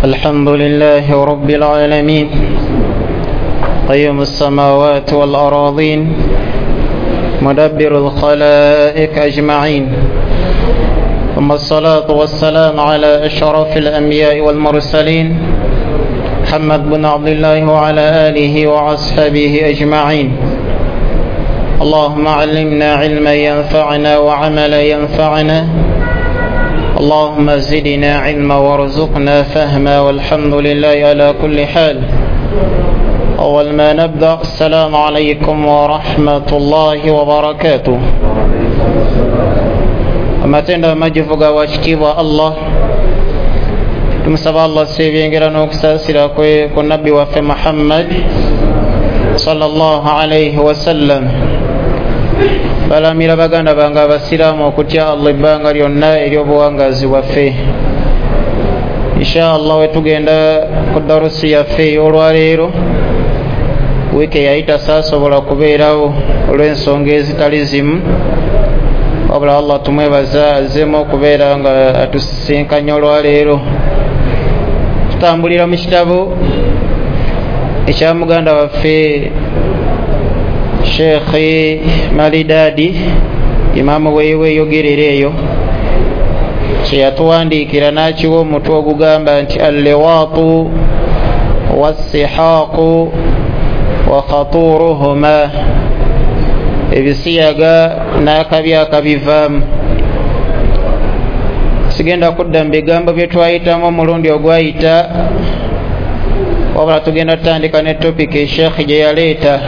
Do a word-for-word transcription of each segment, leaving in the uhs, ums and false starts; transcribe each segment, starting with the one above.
الحمد لله رب العالمين قيم السماوات والأراضين مدبر الخلائق أجمعين ثم الصلاة والسلام على أشرف الأنبياء والمرسلين محمد بن عبد الله وعلى آله وأصحابه أجمعين. اللهم علمنا علما ينفعنا وعملا ينفعنا، اللهم زدنا علما وارزقنا فهما، والحمد لله على كل حال. أول ما نبدأ، السلام عليكم ورحمة الله وبركاته. Amatendo amajivu ga wakitiibwa Allah, tumusaba Allah sebyengera n'okusaasira kwe ku nabbi waffe Muhammad sallallahu alayhi wasallam. Balamira baganda bange abasiraamu okutya Allah ebbanga lyonna ery'obuwangaazi bwaffe. Insha Allah wetugenda ku darusi yaffe ey'olwaleero, wiiki eyayita saasobola kubeerawo olw'ensonga ezitali zimu, wabula Allah tumwebaza azzeemu okubeera nga atusisinkanye olwaleero. Tutambulira mu kitabo ekya muganda waffe Sheikh Malidadi, imaamu weeyogerera eyo, kye yatuwandiikira n'akiwa omutwe ogugamba nti alliwaatu wassihaaqu wa khaturuhuma, ebisiyaga n'akabi akabivaamu. Sigenda kudda mu bigambo bye twayitamu omulundi ogwayita, wabula tugenda tutandika ne topiki Sheikh gye yaleeta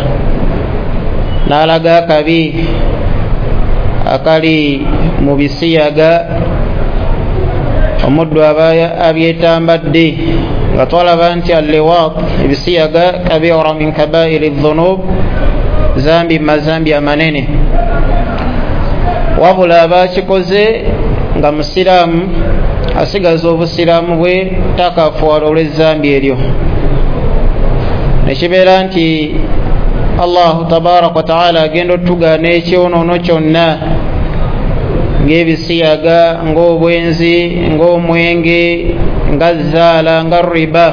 n'alaga akabi akali mu bisiyaga omuddu aba abyetambadde, nga twalaba nti alliwaat, ebisiyaga, kabira min kabairi dhunub, zambi mazambi amanene, wabula abakikoze nga musiraamu asigaza obusiraamu bwe takafuwala olw'ezambi eryo. Nekibeera nti Allahu tabaraka wa taala agenda otugaana ekyonoono kyonna ng'ebisiyaga, ng'obwenzi, ng'omwenge, nga zaala, nga riba,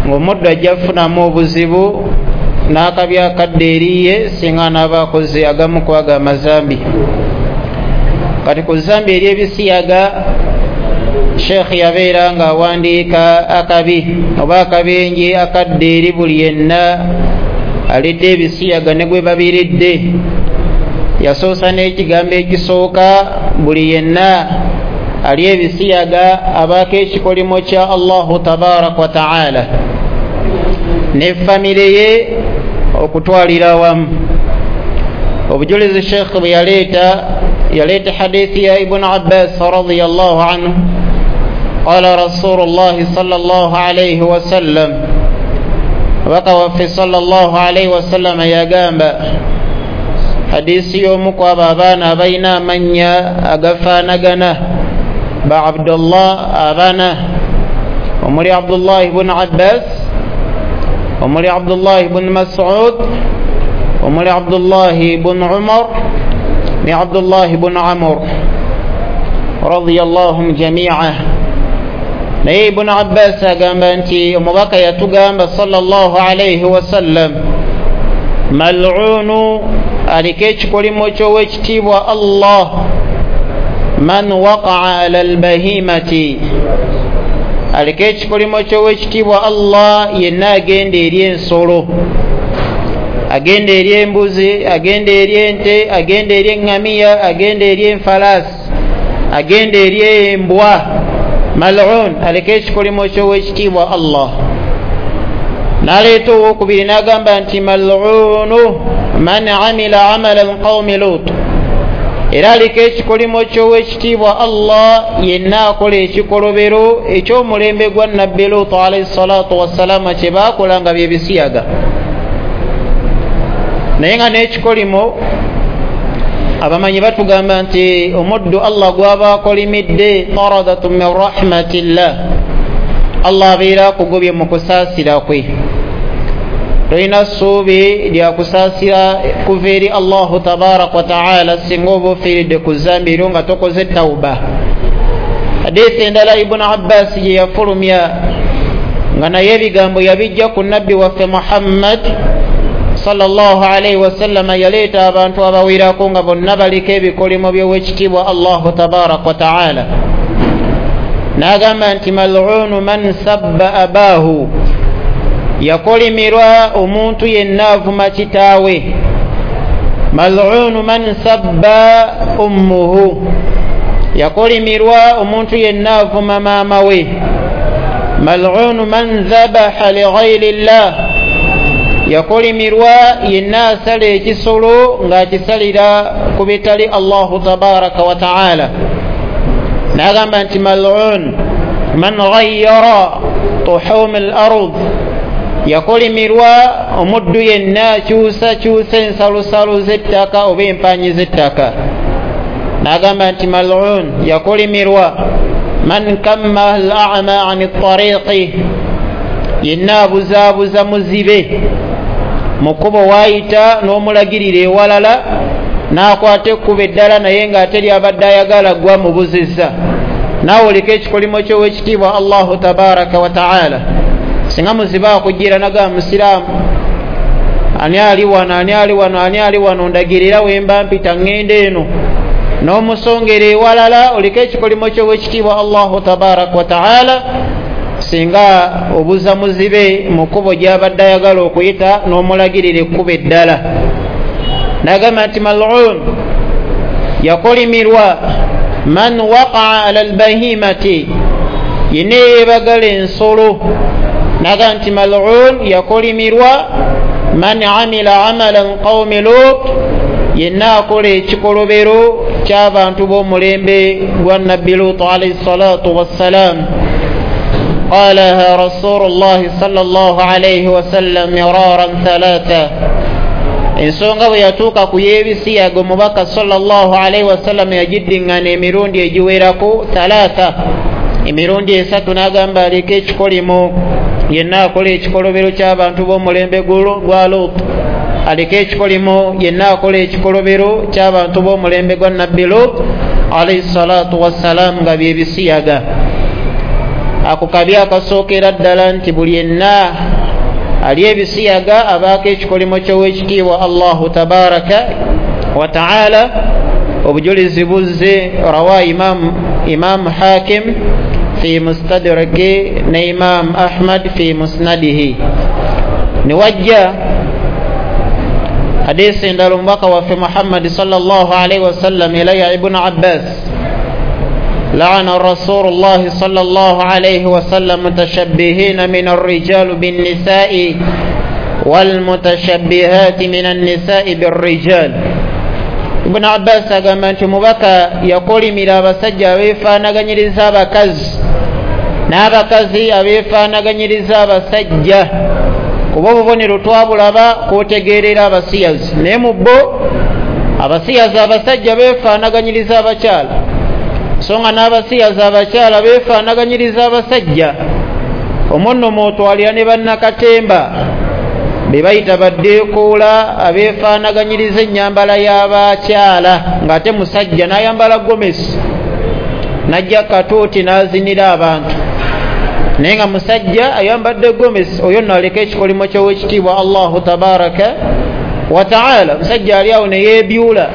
ng'omuddu ajja kufunamu obuzibu n'akabi akadde eriye singa anaaba akoze agamu ku ago amazambi. Kati ku zambi ery'ebisiyaga, Sheikh yabeera ng'awandiika akabi oba akabenje akadde eri buli yenna alidde ebisiyaga ne gwe babiridde. Yasoosa n'ekigambo ekisooka, buli yenna ali ebisiyaga abaako ekikolimo kya Allahu tabaraka wa taala ne famire ye okutwalira awamu. Obujulizi Sheikh bwe yaleeta, yaleeta hadithi ya Ibn Abbas radiyallahu anhu, qala Rasulullahi sallallahu alayhi wasallam, abaka waffe sallallahu alayhi wasallam yagamba, hadisi y'omu ku abo abaana abalina amannya agafaanagana ba Abdullah abana, omuli Abdullah ibn Abbas, omuli Abdullah ibn Mas'ud, omuli Abdullah ibn Umar ne Abdullah ibn Amr radiyallahu jami'a. Naye Ibn Abbas agamba nti omubaka yatugamba sallallahu alayhi wasallam, mal'unu, aliko ekikolimo ky'owekitiibwa Allah, man waqa'a ala albahimati, aliko ekikolimo ky'owekitiibwa Allah yenna agenda eri ensolo, agenda eri embuzi, agenda eri ente, agenda eri eŋŋamiya, agenda eri enfalaasi, agenda eri embwa, mal'un, aliko ekikolimo ky'owekitiibwa Allah. N'aleeta owokubiri n'agamba nti mal'unu man amila amala qawmi Lut, era aliko ekikolimo ky'owekitiibwa Allah yenna akola ekikolobero eky'omulembe gwa Nabbi Lut alayhi salatu wassalama kye baakola nga bye bisiyaga. Naye nga n'ekikolimo abamanyi batugamba nti omuddu Allah gw'aba akolimidde taradatu min rahmatillah, Allah abeera akugobye mu kusaasira kwe. Tolina ssuubi lya kusaasira kuva eri Allahu tabaraka wa taala singa oba ofiiridde ku zambi eryo nga tokoze tawuba. Hadithi endala Ibunu Abbas gye yafulumya nga naye ebigambo yabijja ku nabbi waffe Muhammad sallallahu alaihi wasallama, yaleeta abantu abawerako nga bonna baliko ebikolimo by'owekitiibwa Allahu tabaraka wa taala. N'agamba nti mal'unu man sabba abaahu, yakolimirwa omuntu yenna avuma kitaawe. Mal'unu man sabba ummuhu, yakolimirwa omuntu yenna avuma maama we. Mal'unu man dhabaha lighairi llah, yakolimirwa yenna asala ekisolo ng'akisalira ku bitali Allahu tabaraka wa taala. N'agamba nti mal'un man ghayyara tuhum al ard, yakolimirwa omuddu yenna akyusakyusa ensalosalo z'ettaka oba empanyi z'ettaka. N'agamba nti mal'un, yakolimirwa man kamma al a'ma an tariqi, yenna abuzaabuza muzibe mu kkubo waayita n'omulagirira ewalala n'akwata ekkubo eddala naye ng'ate lyabadde ayagala gwa mubuzizza. Naawe oliko ekikolimo ky'owekitiibwa Allahu tabaraka wa taala. Singa muzibe akujjira naga musiraamu, ani ali wano, ani ali wano, ani ali wano, ndagirira wemba mpita ŋŋenda eno, n'omusongera ewalala, oliko ekikolimo ky'owekitiibwa Allahu tabaraka wa taala. Singa obuza muzibe mu kkubo gy'abadde ayagala okuyita n'omulagirira ekkubo eddala. N'agamba nti mal'un, yakolimirwa man waqaa ala albahimati, yenna yeebagala ensolo. N'agamba nti mal'un, yakolimirwa man amila amalan qawmi Lut, yenna akola ekikolobero ky'abantu b'omulembe gwa Nabbi Lut alayhi salatu wassalam. Qalaha Rasulullahi sallallahu alayhi wasallam miraran thalatha. Ensonga bwe yatuuka ku y'ebisiyaga omubaka sallallahu alaihi wasallam yagiddiŋŋana emirundi egiwerako thalatha, emirundi esatu. N'agamba aliko ekikolimo yenna akola ekikolobero ky'abantu b'omulembe gwa Lut, aliko ekikolimo yenna akola ekikolobero ky'abantu b'omulembe gwa Nabbi Lut alayhi salatu wassalam, nga byebisiyaga. Ako kabi akasookera ddala nti buli yenna ali ebisiyaga abaako ekikolimo ky'owekitiibwa Allahu tabaraka wa taala. Obujulizi buzze rawa imam, imam Hakim fi mustadraki ne Imam Ahmad fi musnadihi. Ne wajja hadisi endala omubaka waffe Muhammad sallallahu alaihi wasallam elaya Ibnu Abbas, لعن رسول الله صلى الله عليه وسلم متشبهين من الرجال بالنساء والمتشبهات من النساء بالرجال. Ibn Abbas agamba nti omubaka yakolimira abasajja abeefaanaganyiriza abakazi n'abakazi abeefaanaganyiriza abasajja, kuba obubonero twabulaba kwotegeerera abasiyazi. Naye mu bo abasiyazi abasajja beefaanaganyiriza abakyala, so nga n'abasiyazi abakyala beefaanaganyiriza abasajja. Omwo nno mw'otwalira ne bannakatemba be bayita baddeekoola abeefaanaganyiriza ennyambala y'abakyala, ng'ate musajja n'ayambala gomesi n'ajja katuuti n'azinira abantu, naye nga musajja ayambadde gomesi. Oyo nno aleka ekikolimo ky'owekitiibwa Allahu tabaraka wa taala. Musajja ali awo ne yeebyula,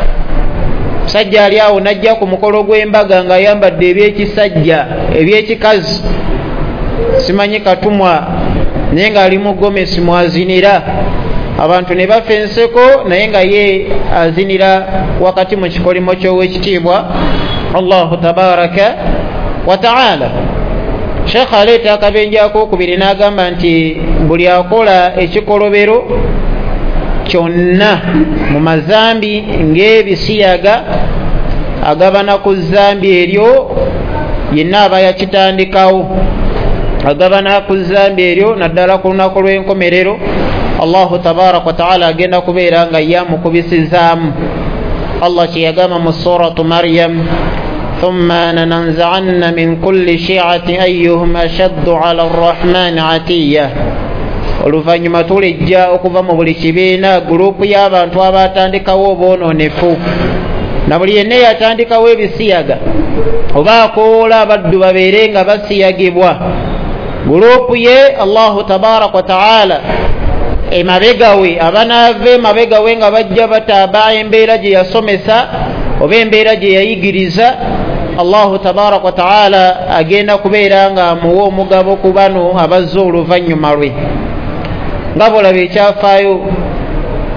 musajja ali awo n'ajja ku mukolo gw'embaga ng'ayambadde ebyekisajja ebyekikazi, simanyi katumwa, naye ng'ali mu gomesi mwazinira abantu ne bafa enseko, naye nga ye azinira wakati mu kikolimo ky'owekitiibwa Allahu tabaraka wa taala. Sheikh aleeta akabenje akookubiri n'agamba nti buli akola ekikolobero kyonna mu mazambi ng'ebisiyaga agabana ku zambi eryo yenna aba yakitandikawo, agabana ku zambi eryo naddala ku lunaku lw'enkomerero Allahu tabaraka wa taala agenda kubeera nga yamukubisizaamu. Allah kye yagamba mu suratu Maryam, thumma nanza'anna min kulli shi'atin ayyuhum ashaddu 'ala ar-rahmani 'atiyya. Oluvannyuma tulijja okuva mu buli kibiina gurupu y'abantu abatandikawo obwonoonefu, Na buli yenna eyatandikawo ebisiyaga oba akowoola abaddu babeere nga basiyagibwa, gurupu ye Allahu tabaraka wa taala emabega we, abanaava emabega we nga bajja bataaba embeera gye yasomesa oba embeera gye yayigiriza, Allahu tabaraka wa taala agenda kubeera nga amuwa omugabo ku bano abazze oluvannyuma lwe. Nga bw'olaba ekyafaayo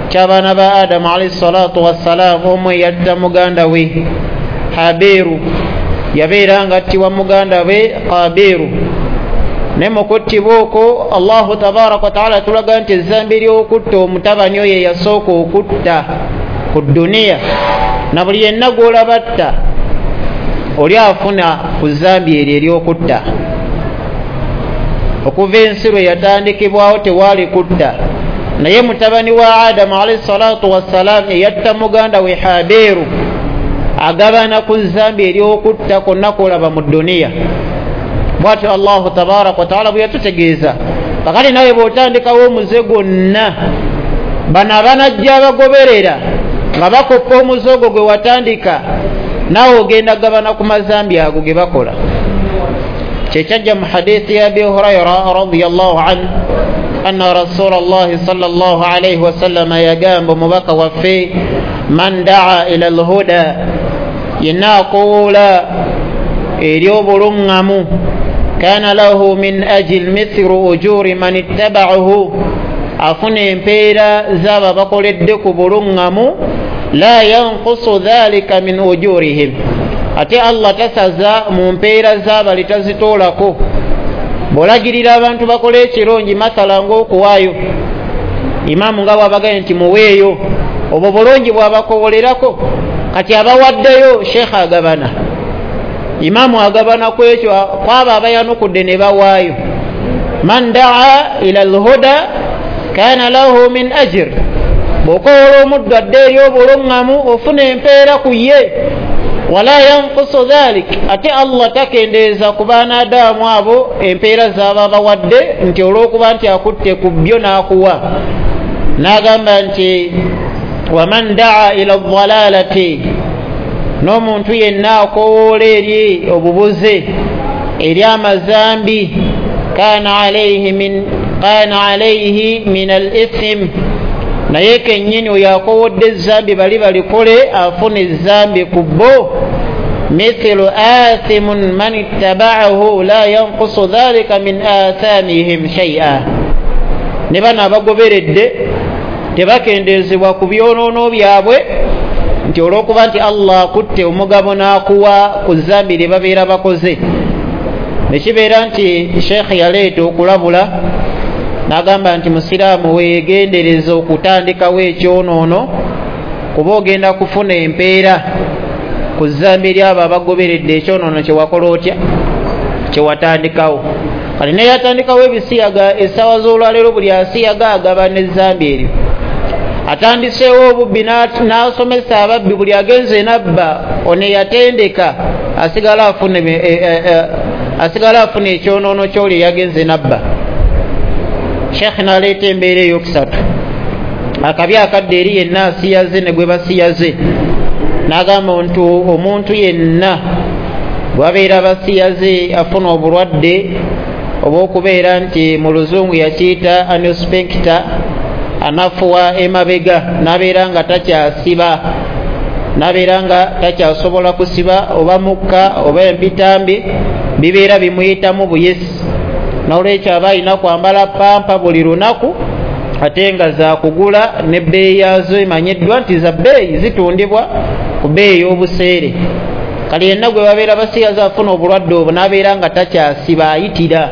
ky'abaana ba Adamu alayhi salatu wassalaamu, omu eyatta muganda we Habiru, yabeera nga attibwa muganda we Kabiru. Naye mu kuttibwa okwo Allahu tabaraka wa taala atulaga nti ezzambi ly'okutta omutabani oyo eyasooka okutta ku dduniya, na buli yenna gw'olaba atta oli afuna ku zzambi eryo ery'okutta. Okuva ensi lwe yatandikibwawo tewaali kutta, naye mutabani wa Adamu alayhi salatu wassalaamu eyatta muganda we Habiru agabana ku zzambi ery'okutta kwonna kw'olaba mu dduniya. Bw'atyo Allahu tabaraka wa taala bwe yatutegeeza. Kakati nawe bw'otandikawo omuze gwonna, bano abanajja abagoberera nga bakoppa omuze ogwo gwe watandika, naawe ogenda gabana ku mazambi ago ge bakola. Kyekyajja mu hadithi ya Abi Hurayra radiyallahu anhu anna Rasulallahi sallallahu alayhi wasallama yagamba omubaka waffe, man daa ila alhuda, yenna akowoola eri obuluŋŋamu, kana lahu min ajil mithlu ujuri man ittaba'ahu, afuna empeera z'abo abakoledde ku buluŋŋamu, la yanqusu dhalika min ujurihim, ate Allah tasaza mu mpeera z'abali tazitoolako. Bw'olagirira abantu bakole ekirungi, mathala ng'okuwaayo, imaamu nga bw'abagambye nti muweeyo, obwo bulungi bw'abakowolerako. Kati abawaddeyo sheekha agabana, imaamu agabana ku ekyo kwabo abayanukudde ne bawaayo. Man daa ila alhuda kana lahu min ajr, bw'okowoola omuddu adde eri obuluŋŋamu ofuna empeera ku ye. Wala yanqusu dhalik, ate Allah takendeeza ku baanaadaamu abo empeera z'aba bawadde nti olw'okuba nti akutte ku byo n'akuwa. N'agamba nti waman daa ila dhalalati, n'omuntu yenna akowoola eri obubuze, eri amazambi, kana alayhi min kana alayhi min al-ithm, naye kennyini oyo akowodde ezzambi bali balikole afuna ezzambi ku bo. Mithlu athimun man ittaba'ahu la yanqusu dhalika min athamihim shay'a, ne bano abagoberedde tebakendeezebwa ku byonoono byabwe nti olw'okuba nti Allah akutte omugabo n'akuwa ku zzambi lye babeera bakoze. Ne kibeera nti sheekh yaleeta okulabula n'agamba nti musiraamu weegendereza okutandikawo ekyonoono, kuba ogenda kufuna empeera ku zzambi ly'abo abagoberedde ekyonoono kye wakola otya, kye watandikawo. Kale naye yatandikawo ebisiyaga essaawa z'olwaleero buli asiyaga agaba n'ezzambi eryo. Atandiseewo obubbi n'asomesa ababbi, buli agenze n'abba ono eyatendeka asigala afuna asigala afuna ekyonoono ky'oli eyagenze n'abba. Sheekh n'aleeta embeera ey'okusatu, akabi akadde eri yenna asiyaze ne gwe basiyaze. N'agamba nti omuntu yenna bw'abeera basiyaze afuna obulwadde obw'okubeera nti mu luzungu yakiyita anuspecta, anafuwa emabega n'abeera nga takyasiba, n'abeera nga takyasobola kusiba oba mukka oba empitambi bibeera bimuyitamu buyisi. N'olwekyo aba alina kwambala pampa buli lunaku, ate nga zaakugula n'ebbeeyi yaazo emanyiddwa nti za bbeeyi, zitundibwa ku bbeeyi ey'obuseere. Kale yenna gwe babeera basiyaze afuna obulwadde obwo n'abeera nga takyasiba, ayitira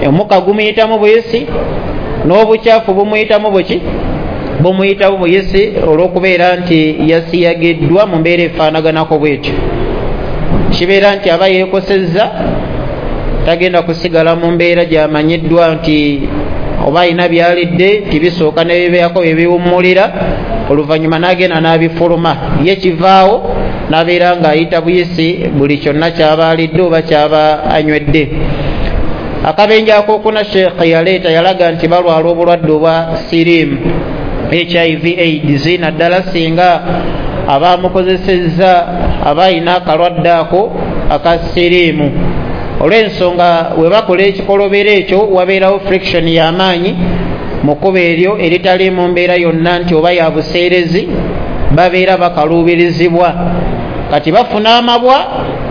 omukka gumuyitamu buyisi n'obukyafu bumuyitamu buki bumuyitamu buyisi olw'okubeera nti yasiyagiddwa mu mbeera efaanaganako bwetyo. Kibeera nti aba yeekosezza, tagenda kusigala mu mbeera gy'amanyiddwa nti oba alina byalidde tibisooka ne bibeerako bye biwummulira, oluvannyuma n'agenda n'abifuluma, ye kivaawo n'abeera ng'ayita buyisi buli kyonna ky'aba alidde oba ky'aba anywedde. Akabenje akookuna sheekh yaleeta yalaga nti balwala obulwadde obwa siriimu, H I V AIDS, naddala singa aba amukozesezza aba ayina akalwadde ako aka siriimu. Olw'ensonga we bakola ekikolobero ekyo wabeerawo friction y'amaanyi mu kkubo eryo eritali mu mbeera yonna nti oba ya buseerezi, babeera bakaluubirizibwa. Kati bafuna amabwa,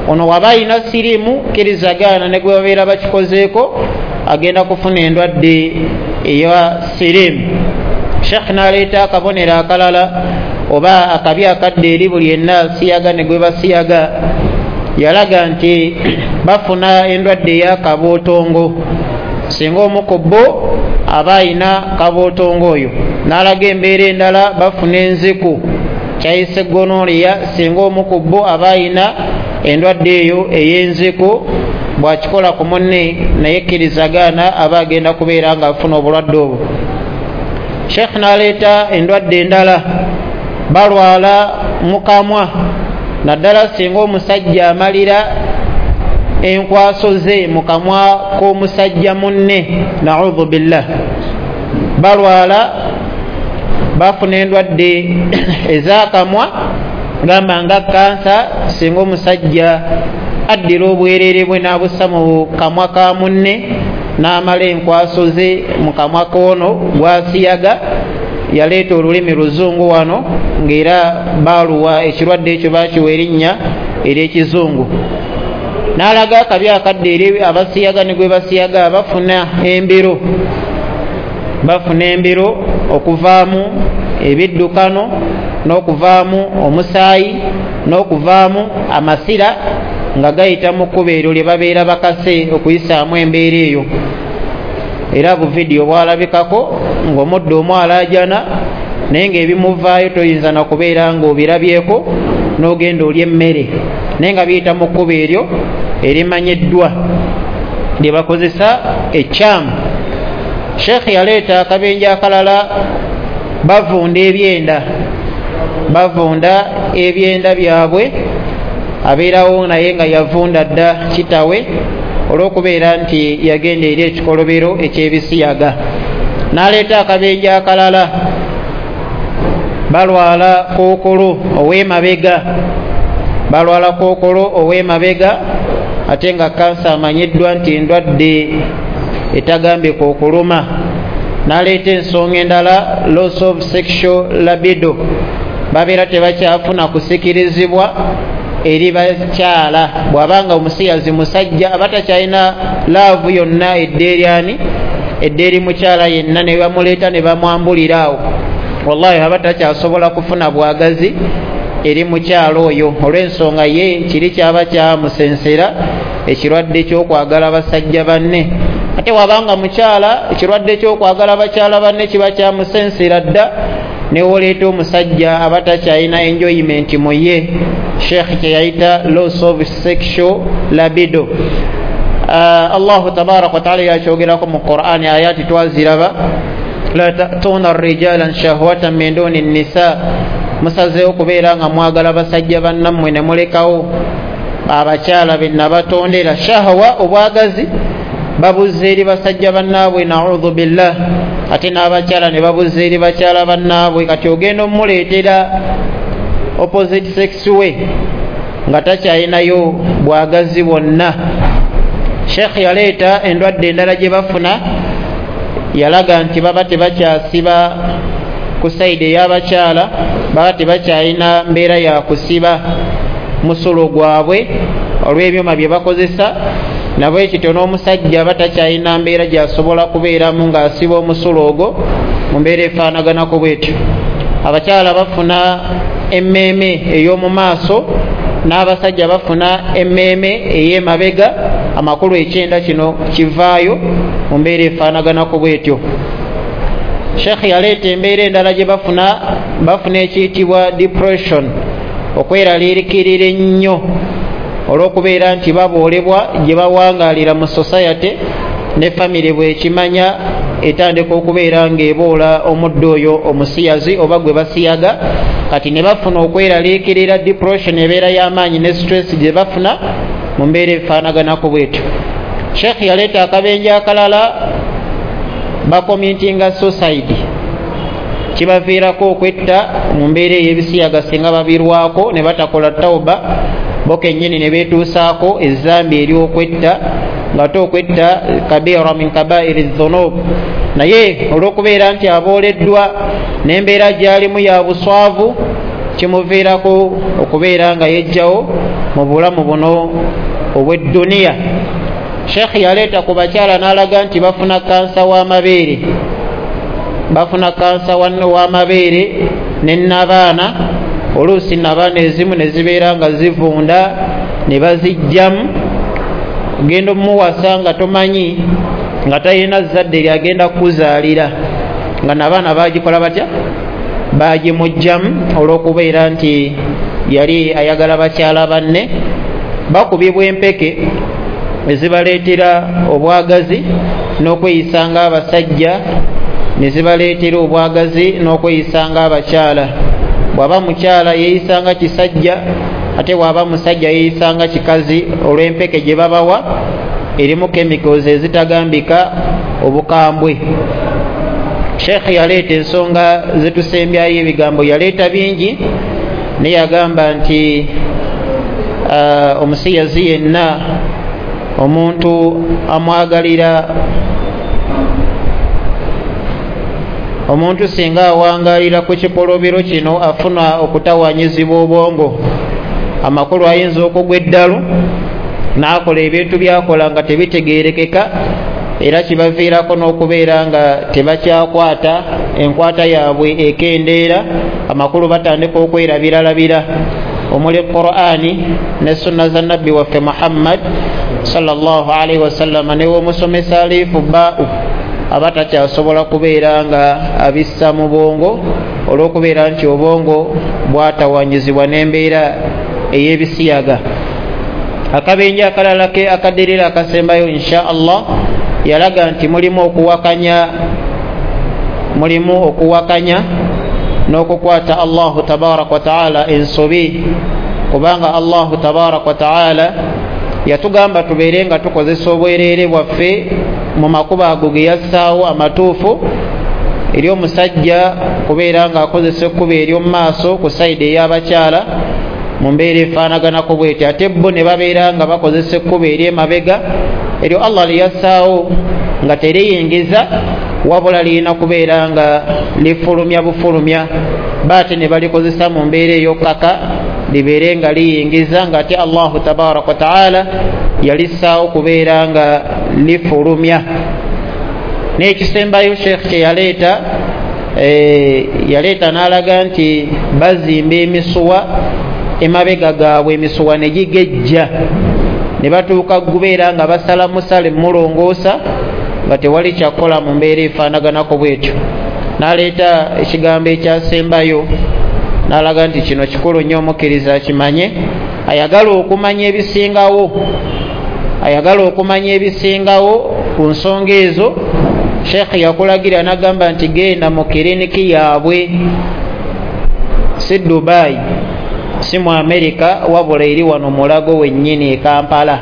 ono waba ayina siriimu kkirizagaana ne gwe babeera bakikozeeko agenda kufuna endwadde eya siriimu. Sheikh n'aleeta akabonero akalala oba akabi akadde eri buli yenna asiyaga ne gwe basiyaga. Yalaga nti bafuna endwadde eya kabootongo singa omu ku bo aba ayina kabootongo oyo. N'alaga embeera endala, bafuna enziku kyayise gonorrhea singa omu ku bo aba ayina endwadde eyo ey'enziku, bw'akikola ku munne naye kkirizagaana aba agenda kubeera ng'afuna obulwadde obwo. Sheikh n'aleeta endwadde endala, balwala mukamwa naddala singa omusajja amalira enkwaso ze mu kamwa k'omusajja munne, naudhu billah. Balwala bafuna endwadde ez'akamwa gamba nga kansa singa omusajja addira obwerere bwe n'abussa mu kamwa ka munne n'amala enkwaso ze mu kamwa k'ono gw'asiyaga. Yaleeta olulimi luzungu wano ng'era baaluwa ekirwadde ekyo baakiwa erinnya ery'ekizungu. N'alaga akabi akadde eri abasiyaga ne gwe basiyaga, bafuna embiro, bafuna embiro okuvaamu ebiddukano n'okuvaamu omusaayi n'okuvaamu amasira nga gayita mu kkubo eryo lye babeera bakase okuyisaamu embeera eyo. Era buvidiyo bwalabikako ng'omuddo omu alaajana naye ng'ebimuvaayo toyinza na kubeera ng'obirabyeko n'ogenda olya emmere, naye nga biyita mu kkubo eryo erimanyiddwa lye bakozesa ekyamu. Sheikh yaleeta akabenje akalala, bavunda ebyenda, bavunda ebyenda byabwe. Abeerawo naye nga yavunda dda kitawe olw'okubeera nti yagenda eri ekikolobero eky'ebisiyaga. N'aleeta akabenje akalala, balwala kookolo ow'emabega, balwala kookolo ow'emabega ate nga kansa amanyiddwa nti ndwadde etagambika okuluma. N'aleeta ensonga endala, loss of sexual libido, babeera tebakyafuna kusikirizibwa eri bakyala. Bw'abanga omusiyazi musajja aba takyalina laavu yonna edda eri ani, edda eri mukyala yenna, ne bamuleeta ne bamwambulira awo, wallahi aba takyasobola kufuna bwagazi eri mukyala oyo olw'ensonga ye kiri kyaba kyamusensera ekirwadde ky'okwagala basajja banne. Ate wabanga mukyala ekirwadde ky'okwagala bakyala banne kiba kyamusensera dda, newoleeta omusajja aba takyalina enjoyment mu ye. Sheikh kye yayita loss of sexual libido. Uh, Allahu tabaraka wa taala yakyogerako mu Qur'ani, ayati twaziraba, la ta'tuna rijalan shahwatan min duni nisa, musazeewo okubeera nga mwagala basajja bannammwe ne mulekawo abakyala be nabatondera. Shahwa obwagazi babuzza eri basajja bannaabwe, naudhu billah, ate n'abakyala ne babuzza eri bakyala bannaabwe. Kati ogenda omuleetera opposite sex we nga takyalinayo bwagazi bwonna. Sheikh yaleeta endwadde endala gye bafuna, yalaga nti baba tebakyasiba ku sayidi ey'abakyala, baba tebakyalina mbeera ya kusiba musulo gwabwe olw'ebyuma bye bakozesa. Nabwe kityo n'omusajja aba takyalina mbeera gy'asobola kubeeramu ng'asiba omusulo ogwo mu mbeera efaanaganako bwetyo. Abakyala bafuna emmeeme ey'omu maaso n'abasajja bafuna emmeeme ey'emabega, amakulu ekyenda kino kivaayo mu mbeera efaanaganako bwetyo. Sheikh yaleeta embeera endala gye bafuna, bafuna ekiyitibwa depression, okweraliikirira ennyo olw'okubeera nti baboolebwa gye bawangaalira mu society ne famire bw'ekimanya etandika okubeera ng'eboola omuddo oyo omusiyazi oba gwe basiyaga. Kati ne bafuna okweraliikirira, depression ebeera y'amaanyi ne stress gye bafuna mu mbeera efaanaganako bwetyo. Sheikh yaleeta akabenje akalala, bakomitinga suicide, Kibaviirako okwetta mu mbeera ey'ebisiyaga singa babirwako ne batakola tawba, bo kennyini ne beetuusaako ezambi ery'okwetta, ng'ate okwetta kabira min kabairi dhunub. Naye olw'okubeera nti abooleddwa n'embeera gy'alimu ya buswavu, kimuviirako okubeera nga yejjawo mu bulamu buno obw'edduniya. Sheikh yaleeta ku bakyala n'alaga nti bafuna kansa w'amabeere, bafuna kansa w'amabeere ne nabaana. Oluusi nabaana ezimu ne zibeera nga zivunda ne bazijjamu. Ogenda omuwasa nga tomanyi, nga talina zzadde lyagenda kukuzaalira, nga nabaana bagikola batya? Bagimugjamu olw'okubeera nti yali ayagala bakyala banne. Bakubibwa empeke ezibaleetera obwagazi n'okweyisa ng'abasajja, ne zibaleetera obwagazi n'okweyisa ng'abakyala. Bw'aba mukyala yeeyisa nga kisajja, ate bw'aba musajja yeeyisa nga kikazi, olw'empeke gye babawa erimu chemicals ezitagambika obukambwe. Sheikh yaleeta ensonga zetusembyayo, ebigambo yaleeta bingi, naye yagamba nti uh, omusiyazi yenna omuntu amwagalira omuntu singa awangalira ku kikolobero kino afuna okutawanyizibwa obwongo. Amakulu ayinza okugwa eddalu n'akola ebintu by'akola nga tebitegeerekeka, era kibaviirako n'okubeera nga tebakyakwata, enkwata yaabwe ekendeera. Amakulu batandika okwerabiralabira omuli Qur'ani ne sunna za Nabbi waffe Muhammad sallallahu alaihi wasallam. Ne w'omusomesa alifu baa'u aba takyasobola kubeera nga abissa mu bwongo, olw'okubeera nti obwongo bwatawanyizibwa n'embeera ey'ebisiyaga. Akabenje akalala ke akaddirira akasembayo insha Allah, yalaga nti mulimu okuwakanya, mulimu okuwakanya n'okukwata Allahu tabaraka wa taala ensobi, kubanga Allahu tabaraka wa taala yatugamba tubeere nga tukozesa obwereere bwaffe mu makubo ago ge yassaawo amatuufu, eri omusajja kubeera ng'akozesa ekkubo ery'omu maaso ku sayidi ey'abakyala mu mbeera efaanaganako bw'etyo, ate bo ne babeera nga bakozesa ekkubo ery'emabega eryo Allah lye yassaawo nga teriyingiza, wabula lirina kubeera nga lifulumya bufulumya, baate ne balikozesa mu mbeera ey'okkaka libeere nga liyingiza, ng'ate Allahu tabaraka wa taala yalissaawo kubeera nga lifulumya. N'ekisembayo Sheikh kye yaleeta, e, yaleeta n'alaga nti bazimba emisuwa emabega gaabwe, emisuwa ne gigejja ne batuuka kubeera nga basala musale mulongoosa nga tewali kyakukola mu mbeera efaanaganako bwetyo. N'aleeta ekigambo ekyasembayo n'alaga nti kino kikulu nnyo omukkiriza akimanye, ayagala okumanya ebisingawo, ayagala okumanya ebisingawo ku nsonga ezo. Sheikh yakulagira n'agamba nti genda mu kiriniki yaabwe, si Dubai, si mu Amerika, wabula eri wano Mulago wennyini e Kampala.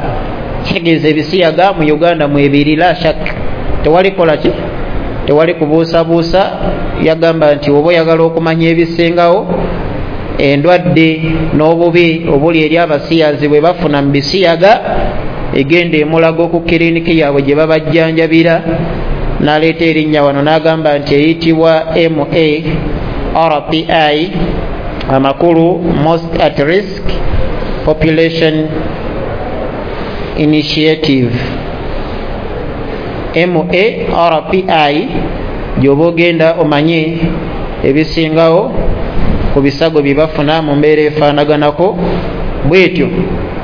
Kitegeeza ebisiyaga mu Uganda mwebiri, la shak, tewali kola ki, tewali kubuusabuusa. Yagamba nti oba oyagala okumanya ebisingawo, endwadde n'obubi obuli eri abasiyazi bwe bafuna mu bisiyaga, egenda emulago ku kiriniki yaabwe gye babajjanjabira. N'aleeta erinnya wano n'agamba nti eyitibwa M A R P I, amakulu Most at Risk Population Initiative, M A R P I, gy'oba ogenda omanye ebisingawo ku bisago bye bafuna mu mbeera efaanaganako bwetyo.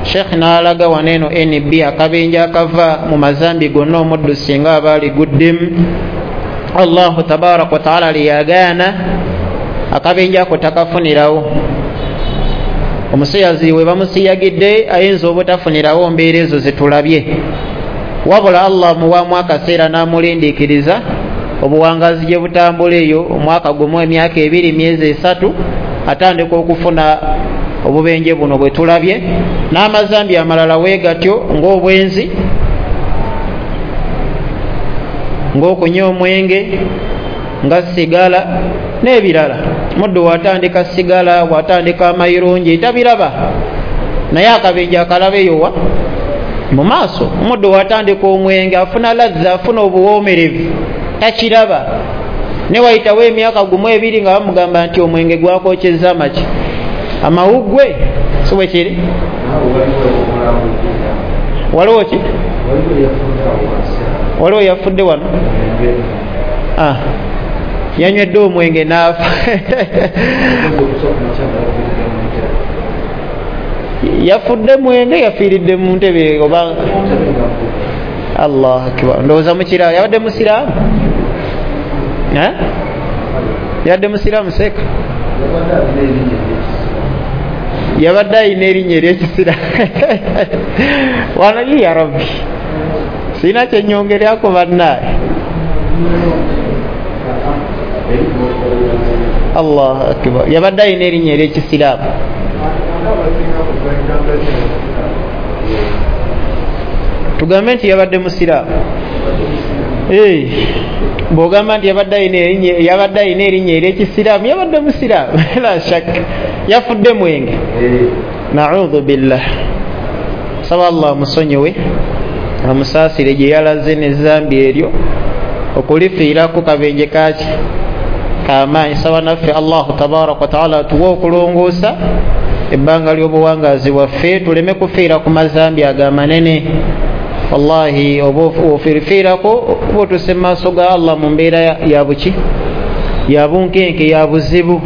Sheikh n'alaga wano eno N B akabenje akava mu mazambi gonna omuddu singa aba aliguddemu, Allahu tabaraka wa taala liyagaana akabenje ako takafunirawo. Omusiyazi we bamusiyagidde ayinza obutafunirawo mbeera ezo zetulabye, wabula Allah muwamu akaseera n'amulindiikiriza obuwangazi gye butambula eyo omwaka gumu, emyaka ebiri, emyezi esatu, atandika okufuna obubenje buno bwe tulabye n'amazambi amalala weegatyo ng'obwenzi, ng'okunywa omwenge, nga sigala, N'ebirala, muddu watandika sigala, watandika amayirungi, tabiraba, naye akabenje akalaba eyowa mu maaso. Omuddu watandika omwenge afuna ladha, afuna obuwoomerevu, takiraba. Ne wayitawo emyaka gumu ebiri nga bamugamba nti omwenge gwakokyezza amaki amawuggwe, si bwe kiri? Waliwo ki? Waliwo yafudde wano, ah, yanywedde omwenge n'afa. Yafudde mwenge, yafiiridde mu ntebe oba? Allahu akbar. Ndowooza mukiraba, yabadde musiraamu? Eh? Yabadde musiraamu seeka? Yabadde alina erinnya ery'ekisiraamu. Wano ya Rabbi, sirina kyennyongerako bannaaye. Allahu akbar. Yabadde alina erinnya ery'ekisiraamu. Tugambe nti yabadde musiraamu. Eh, bw'ogamba nti yabadde alina erinnya, yabadde alina erinnya ery'ekisiraamu, yabadde musiraamu. La shakka, yafudde mwenge. Na'udhu billah. Saba Allah amusonyiwe, amusaasire gye yalaze n'ezambi eryo okulifiirako kabenje kaki kamaanyi. Saba naffe Allahu tabaraka wa taala atuwe okulongoosa ebbanga ly'obuwangaazi bwaffe, tuleme kufiira ku mazambi agamanene. Wallahi oba ofiirako oba otuuse mu maaso ga Allah mu mbeera ya buki, ya bunkenke, ya buzibu.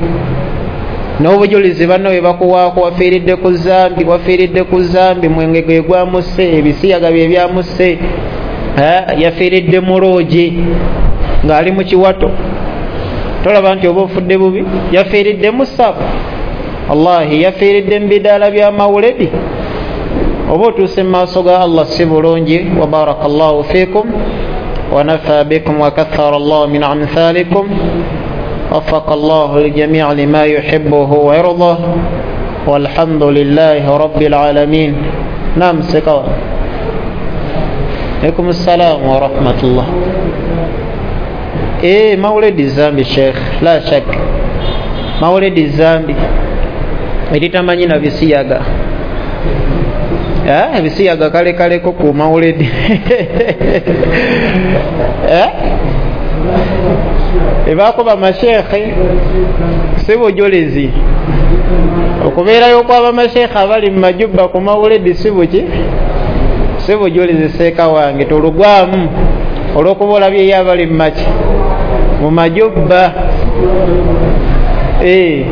N'obujulizi banno bwe bakuwaako, wafiiridde ku zambi, wafiiridde ku zambi, mwenge gwe gwamusse, ebisiyaga bye byamusse, yafiiridde mu loogi ng'ali mu kiwato. Tolaba nti oba ofudde bubi? Yafiiridde mu ssabo, wallahi yafiiridde mu bidaala bya mawuledi. Oba otuuse mu maaso ga Allah si bulungi. Wa barakallahu fiikum wa nafa bikum wa kathara Allahu min amthalikum. وفق الله الجميع لما يحبه ويرضاه، والحمد لله رب العالمين. نعم سكوا. عليكم السلام ورحمة الله. إيه مولد الزامبي شيخ، لا شك مولد الزامبي eritamanyi na bisiyaga. Eh, ebisiyaga kale kale ko ku mawuledi. Eh, ebaako bamashekhe si bujulizi. Okubeerayo kw'abamashekhe abali mu majubba ku mawuledi si buki, si bujulizi. Seeka wange tolugwamu olw'okuba olabyeyo abali mu maki mu majubba. Eh.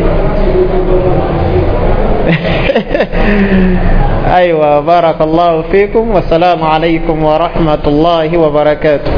Aywa, barakallahu fikum, wassalamu alaikum warahmatullahi wabarakatuh.